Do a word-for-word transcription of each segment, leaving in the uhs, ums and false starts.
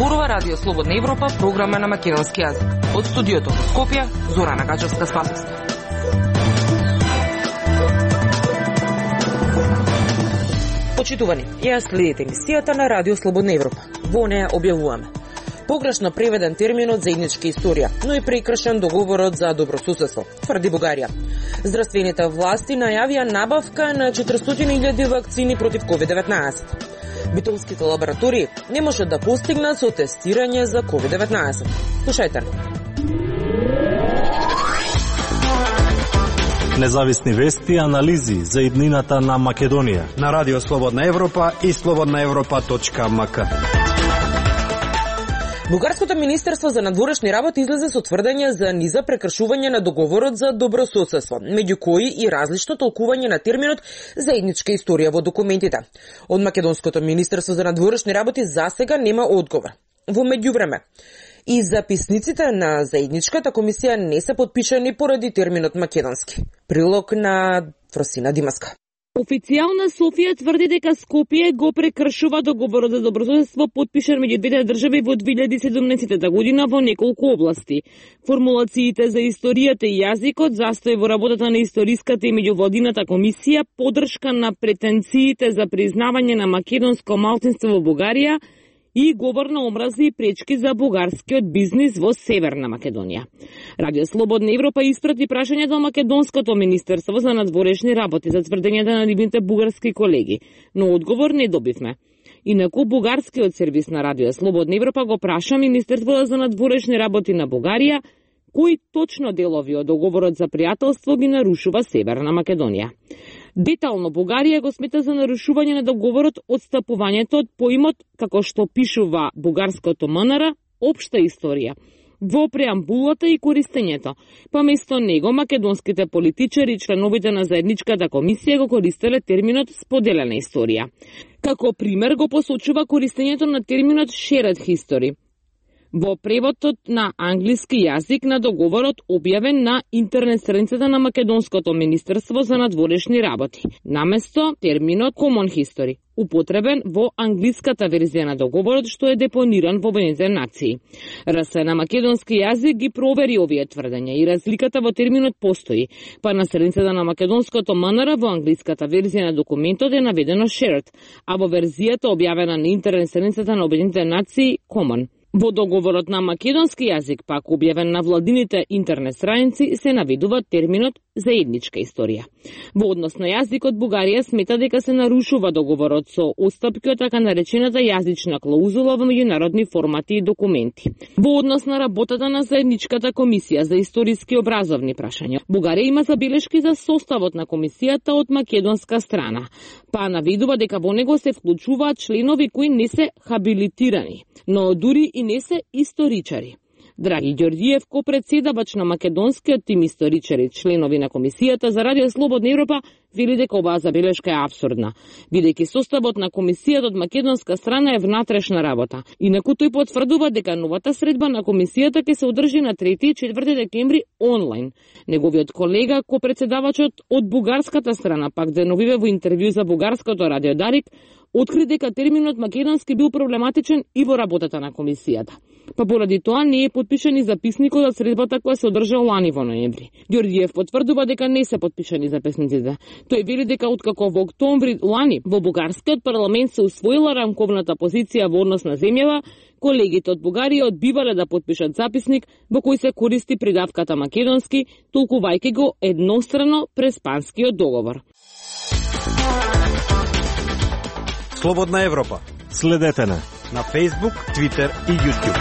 Зборува Радио Слободна Европа, програма на македонски јазик. Од студиото во Скопје, Зорана Гаџевска-Спасовска. Почитувани, ја следите емисијата на Радио Слободна Европа. Во неја објавуваме погрешно преведен терминот заедничка историја, но и прекршен договорот за добросуседство, тврди Бугарија. Здравствените власти најавија набавка на четиристотини илјади вакцини против ковид деветнаесет. Битолските лаборатории не можат да постигнат со тестирање за ковид деветнаесет. Слушајте. Независни вести и анализи за иднината на Македонија на Радио Слободна Европа и слободна европа точка ем ка. Бугарското министерство за надворешни работи излезе со тврдење за низа прекршување на договорот за добрососедство, меѓу кои и различно толкување на терминот заедничка историја во документите. Од Македонското министерство за надворешни работи засега нема одговор. Во меѓувреме, и записниците на заедничката комисија не се потпишани поради терминот македонски. Прилог на Фросина Димаска. Официјална Софија тврди дека Скопје го прекршува договорот за добрососедство потпишан меѓу двете држави во две илјади и седумнаесета година во неколку области. Формулациите за историјата и јазикот, застој во работата на историската и меѓувладината комисија, поддршка на претенциите за признавање на македонско малцинство во Бугарија и говор на омрази и пречки за бугарскиот бизнис во Северна Македонија. Радио Слободна Европа испрати прашање до Македонското министерство за надворешни работи за тврдењата на нивните бугарски колеги, но одговор не добивме. Инаку бугарскиот сервис на Радио Слободна Европа го праша Министерството за надворешни работи на Бугарија кои точно делови од договорот за пријателство ги нарушува Северна Македонија. Детално Бугарија го смета за нарушување на договорот одстапувањето од поимот, како што пишува бугарското МНР, општа историја, во преамбулата и користењето. Па место него македонските политичари и членовите на заедничката комисија го користеле терминот споделена историја. Како пример го посочува користењето на терминот shared history во преводот на англиски јазик на договорот објавен на интернет страницата на Македонското министерство за надворешни работи, наместо терминот common history, употребен во англиската верзија на договорот што е депониран во Обединетите нации. РС на македонски јазик ги провери овие тврдења и разликата во терминот постои, па на страницата на Македонското МНР во англиската верзија на документот е наведено shared, а во верзијата објавена на интернет страницата на Обединетите нации common. Во договорот на македонски јазик, пак објавен на владините интернет страници, се наведува терминот заедничка историја. Во однос на јазикот, Бугарија смета дека се нарушува договорот со отстапки од така наречената јазична клаузула во меѓународни формати и документи. Во однос на работата на заедничката комисија за историски образовни прашања, Бугарија има забелешки за составот на комисијата од македонска страна, па наведува дека во него се вклучуваат членови кои не се хабилитирани, но дури и не се историчари. Драги Ѓорѓиев, ко-председавач на македонскиот тим историчари, членови на комисијата за Радио Слободна Европа, вели дека оваа забелешка е апсурдна, бидејќи составот на комисијата од македонска страна е внатрешна работа. Инаку тој потврдува дека новата средба на комисијата ќе се одржи на трети и четврти декември онлайн. Неговиот колега, ко-председавачот од бугарската страна, пак деновиве во интервју за бугарското радио Дарик, откри дека терминот македонски бил проблематичен и во работата на комисијата. Па поради тоа не е потпишан записникот од средбата која се одржа лани во ноември. Ѓорѓиев потврдува дека не се потпишани записниците. Тој вели дека откако во октомври лани во бугарскиот парламент се усвоила рамковната позиција во однос на земјава, колегите од Бугарија одбивале да потпишат записник во кој се користи придавката македонски, толкувајќи го еднострано преспанскиот договор. Слободна Европа. Следете на на Facebook, Twitter и YouTube.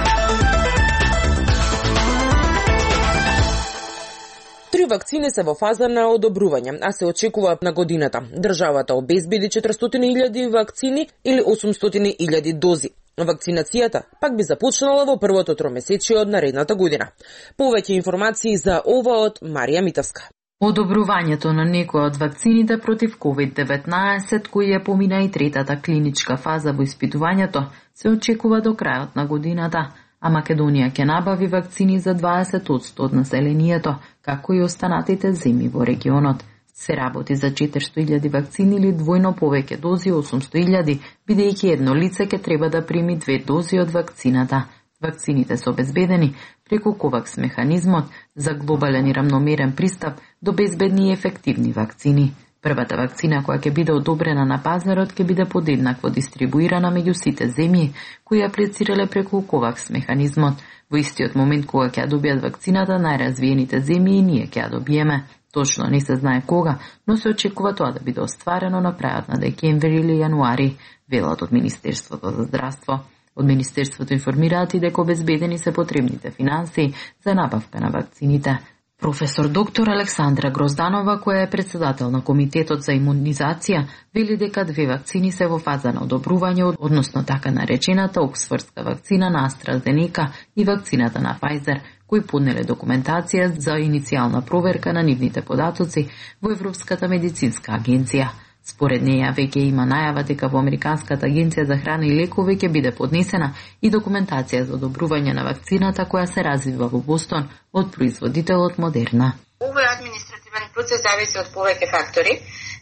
Три вакцини се во фаза на одобрување, а се очекува на годината. Државата обезбеди четиристотини илјади вакцини или осумстотини илјади дози. Вакцинацијата пак би започнала во првото тромесечие од наредната година. Повеќе информации за ова од Марија Митовска. Одобрувањето на некои од вакцините против ковид деветнаесет, кои ја помина и третата клиничка фаза во испитувањето, се очекува до крајот на годината, а Македонија ќе набави вакцини за дваесет одсто од населението, како и останатите земји во регионот. Се работи за четиристотини илјади вакцини или двојно повеќе дози, осумсто илјади, бидејќи едно лице ќе треба да прими две дози од вакцината. Вакцините се обезбедени преку ковакс механизмот за глобален и рамномерен пристап до безбедни и ефективни вакцини. Првата вакцина која ќе биде одобрена на пазарот ќе биде подеднакво дистрибуирана меѓу сите земји кои аплицирале преку ковакс механизмот. Во истиот момент кога ќе ја добијат вакцината, најразвиените земји и ние ќе ја добиеме. Точно не се знае кога, но се очекува тоа да биде остварено на крајот на декември или јануари, велат од Министерството за здравство. Од Министерството информираат и дека обезбедени се потребните финансии за набавка на вакцините. Професор доктор Александра Грозданова, која е председател на Комитетот за имунизација, вели дека две вакцини се во фаза на одобрување, односно така наречената оксфордска вакцина на AstraZeneca и вакцината на Pfizer, кои поднеле документација за иницијална проверка на нивните податоци во Европската медицинска агенција. Според неја веќе има најава дека во Американската агенција за храна и лекови ќе биде поднесена и документација за одобрување на вакцината која се развива во Бостон од производителот Модерна. Овој административен процес зависи од повеќе фактори,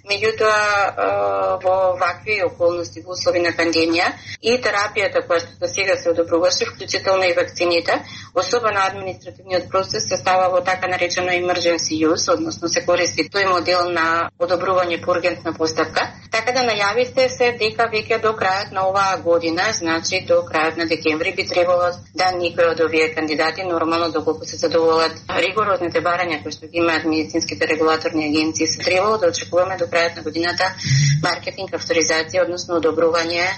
меѓутоа во вакви околности во услови на пандемија и терапијата која што сега се одобруваше, вклучително и вакцините, особено административниот процес се става во така наречено emergency use, односно се користи тој модел на одобрување по ургентна постапка. Така да најавите се дека веќе до крајот на оваа година, значи до крајот на декември би требало да никој од овие кандидати нормално доколку се задоволат ригорозните барања кои што ги имаат медицинските регулаторни агенции, се требало да очекуваме до крајот на годината маркетинг, авторизација, односно одобрување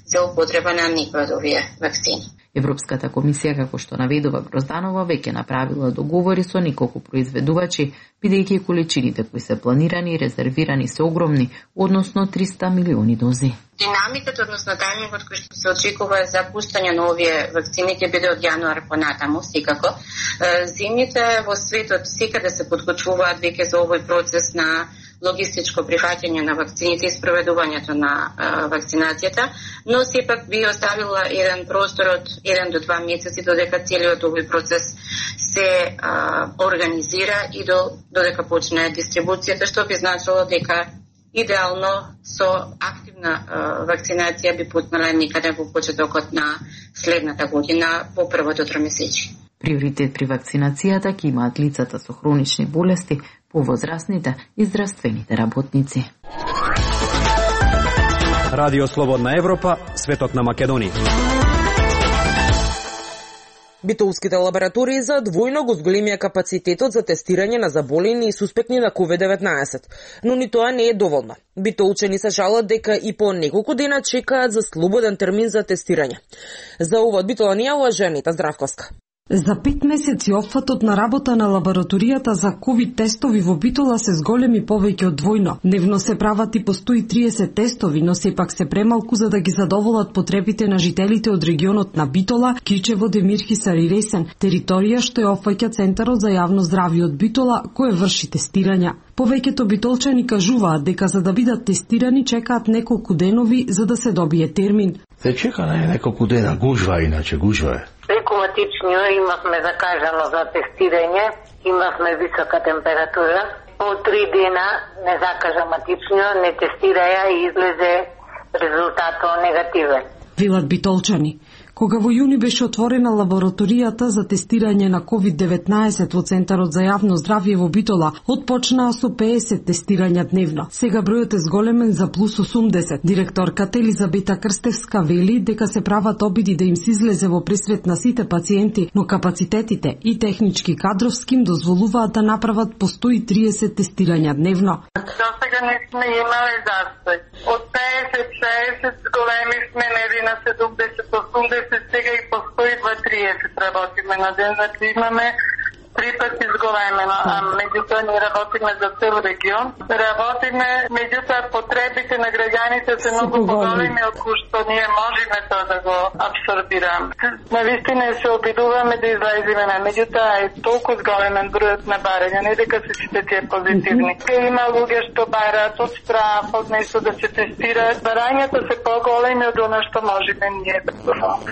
за употреба на никој од овие вакцини. Европската комисија, како што наведува Грозданова, веќе направила договори со неколку произведувачи, бидејќи количините кои се планирани и резервирани се огромни, односно триста милиони дози. Динамиката, односно тајмингот кој што се очекува за пуштање на овие вакцини ќе биде од јануар понатаму, секако. Земјите во светот секаде се подготвуваат веќе за овој процес на логистичко прифаќање на вакцините и спроведувањето на а, вакцинацијата, но сепак би оставила еден простор од еден до два месеци додека целиот овој процес се а, организира и до, додека почне дистрибуцијата, што би значило дека идеално со активна а, вакцинација би пуснала никаде во почетокот на следната година во првото тромесечие. Приоритет при вакцинацијата ќе имаат лицата со хронични болести, повозрастните и здравствените работници. Радио Слободна Европа, светот на Македонија. Битолските лаборатории за двојно го зголемија капацитетот за тестирање на заболени и суспектни на ковид деветнаесет, но ни тоа не е доволно. Битолчани се жалат дека и по неколку дена чекаат за слободен термин за тестирање. За ова од Битола ни јавува Женита Здравковска. За пет месеци опфатот на работа на лабораторијата за ковид тестови во Битола се зголеми повеќе од двојно. Дневно се прават и по сто и триесет тестови, но сепак се премалку за да ги задоволат потребите на жителите од регионот на Битола, Кичево, Демирхисар и Ресен, територија што ја опфаќа Центарот за јавно здравје од Битола, кој врши тестирања. Повеќето битолчани кажуваат дека за да бидат тестирани чекаат неколку денови за да се добие термин. Се чека на неколку дена, гужва иначе, гужва е. Рекоматично имавме закажано за тестирање, имавме висока температура. По три дена незакажаматично не тестираја и излезе резултатот негативен. Велат битолчани. Кога во јуни беше отворена лабораторијата за тестирање на ковид деветнаесет во Центарот за јавно здравје во Битола, отпочнаа со пеесет тестирања дневно. Сега бројот е зголемен за плюс осумдесет. Директорката Елизабета Крстевска вели дека се прават обиди да им се излезе во пресвет на сите пациенти, но капацитетите и технички кадровски им дозволуваат да направат по сто и триесет тестирања дневно. До сега не сме имале застој. Од пеесет шеесет зголемивме нели на седумдесет осумдесет, сега и по сто и два триесет работиме на ден, значи имаме три пати зголемено, а меѓутоа ние работиме за цел регион. Работиме, меѓутоа потребите на граѓаните се многу поголеми од кои што ние можеме тоа да го абсорбираме. Навистина се обидуваме да излеземе на, меѓутоа е толку зголемен бројот на барања, не дека се сите тие позитивни. Има луѓе што бараат од страх, од нешто да се тестираат. Барањата се поголеми од она што можеме ние да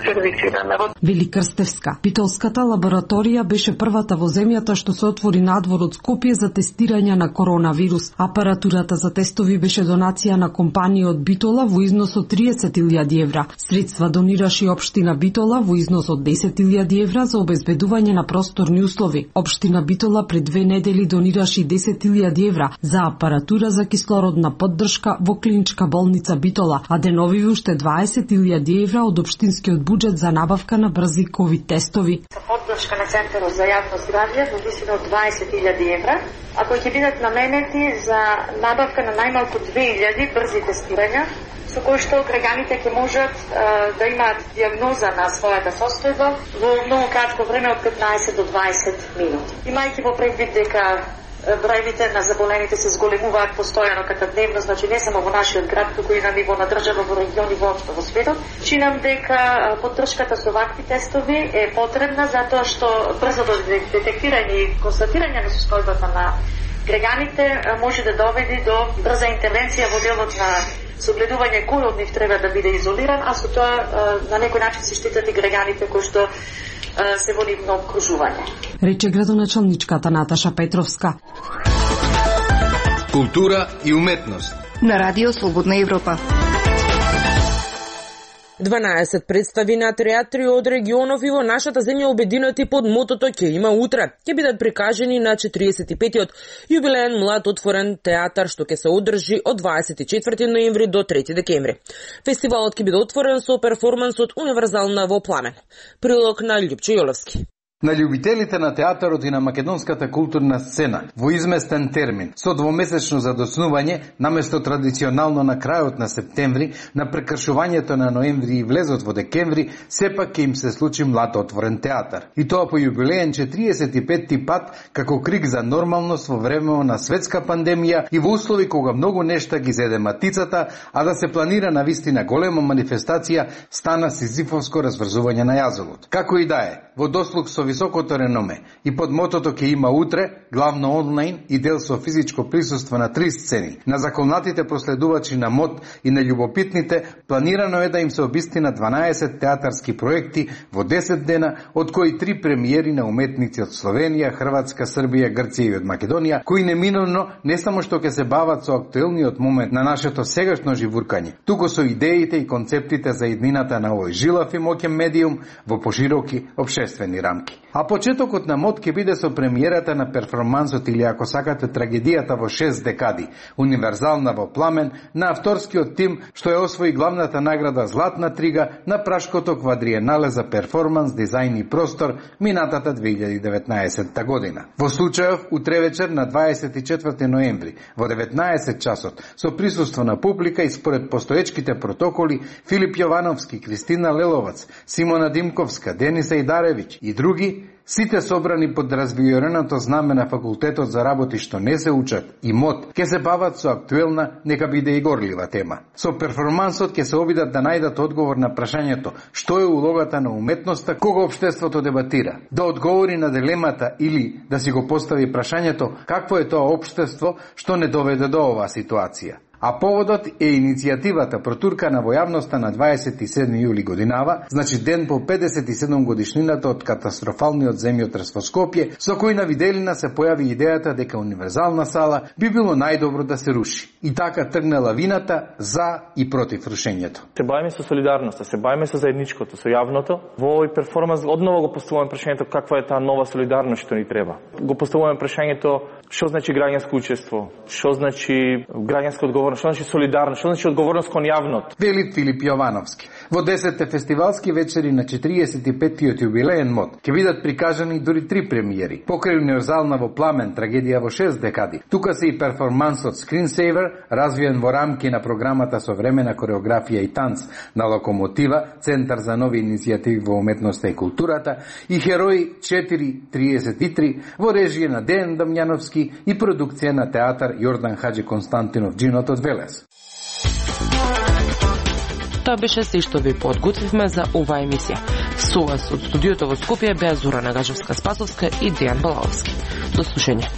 сервисираме. Вели Крстевска. Битолската лабораторија беше првата во земјата што се отвори надвор од Скопје за тестирање на коронавирус. Апаратурата за тестови беше донација на компанија од Битола во износ од триесет илјади евра. Средства донираше и општина Битола во износ од десет илјади евра за обезбедување на просторни услови. Општина Битола пред две недели донираше и десет илјади евра за апаратура за кислородна поддршка во клиничка болница Битола, а деновиве уште дваесет илјади евра од општинскиот буџет за набавка на брзи ковид тестови. Поддршка на Центарот за јавно здравје во висина од дваесет илјади евра, а кои ќе бидат наменети за набавка на најмалку две илјади брзи тестирања, со кои што граѓаните ќе можат а, да имаат дијагноза на својата состојба во многу кратко време од петнаесет до дваесет минути. Имајќи во предвид дека бројите на заболените се зголемуваат постојано ката дневно, значи не само во нашиот град, туку и на ниво на држава, во региони, воопшто во светот. Чинам дека поддршката со вакви тестови е потребна затоа што брзото детектирање и констатирање на состојбата на граѓаните може да доведе до брза интервенција во делот на согледување кој од нив треба да биде изолиран, а со тоа на некој начин се штитат и граѓаните кои што се во нивно окружување. Рече градоначалничката Наташа Петровска. Култура и уметност на Радио Слободна Европа. дванаесет представи на театри од регионов и во нашата земја обединети под мотото «Ќе има утре». Ќе бидат прикажени на четириесет и петиот јубилеен млад отворен театар што ќе се одржи од дваесет и четврти ноември до трети декември. Фестивалот ќе биде отворен со перформансот Универзална во пламен. Прилог на Љупчо Јолевски. На љубителите на театарот и на македонската културна сцена во изместен термин со двомесечно задоснување наместо традиционално на крајот на септември, на прекршувањето на ноември и влезот во декември, сепак ќе им се случи млад отворен театар. И тоа по јубилеен четириесет и петти пат како крик за нормалност во време на светска пандемија и во услови кога многу нешта ги зеде матицата, а да се планира на вистина голема манифестација стана сизифовско разврзување на јазовот. Како и да е, во дослуг со високото реноме и под мотото «Ќе има утре», главно онлайн и дел со физичко присуство на три сцени, на законатите проследувачи на МОД и на љубопитните, планирано е да им се обистина дванаесет театарски проекти во десет дена, од кои три премиери на уметници од Словенија, Хрватска, Србија, Грција и од Македонија, кои неминовно не само што ќе се бават со актуелниот момент на нашето сегашно живуркање, туку со идеите и концептите за иднината на овој жилав и моќен медиум во пошироки обществени рамки. А почетокот на МОД ќе биде со премиерата на перформансот или, ако сакате, трагедијата во шест декади, Универзална во пламен, на авторскиот тим што ја освои главната награда Златна трига на Прашкото квадриенале за перформанс, дизајн и простор минатата две илјади и деветнаесетта година. Во случајов, утре вечер на дваесет и четврти ноември, во деветнаесет часот, со присуство на публика и според постоечките протоколи, Филип Јовановски, Кристина Леловац, Симона Димковска, Дениса Идаревиќ и други, сите собрани под развиореното знаме на Факултетот за работи што не се учат и МОД, ќе се бават со актуелна, нека биде и горлива тема. Со перформансот ќе се обидат да најдат одговор на прашањето што е улогата на уметноста кога општеството дебатира, да одговори на дилемата или да си го постави прашањето какво е тоа општество што не доведе до оваа ситуација. А поводот е иницијативата протуркана во јавноста на дваесет и седми јули годинава, значи ден по педесет и седум годишнината од катастрофалниот земјотрес во Скопје, со кој на виделина се појави идејата дека Универзална сала би било најдобро да се руши. И така тргна лавината за и против рушењето. Се бавиме со солидарноста, се бавиме со заедничкото, со јавното. Во овој перформанс одново го поставуваме прашањето каква е таа нова солидарност што ни треба. Го поставуваме прашањето што значи граѓанско учество, што значи граѓанска одговорност, што значи солидарност, што значи одговорност кон јавното. Вели Филип Јовановски. Во десетте фестивалски вечери на четириесет и петтиот јубилеен МОД ќе бидат прикажани дури три премиери. Покрај Универзална во пламен, трагедија во шест декади. Тука се и перформансот Screensaver, развиен во рамки на програмата Современа кореографија и танц на Локомотива, Центар за нови иницијативи во уметноста и културата, и Херои четири триесет и три во режија на Дејан Дамјановски и продукција на театар Јордан Хаџи Константинов Джинот од Велес. Тоа беше се што ви подготвивме за оваа емисија. Со вас од студиото во Скопје беа Зорана Гажевска-Спасовска и Дејан Балаовски. До слушање.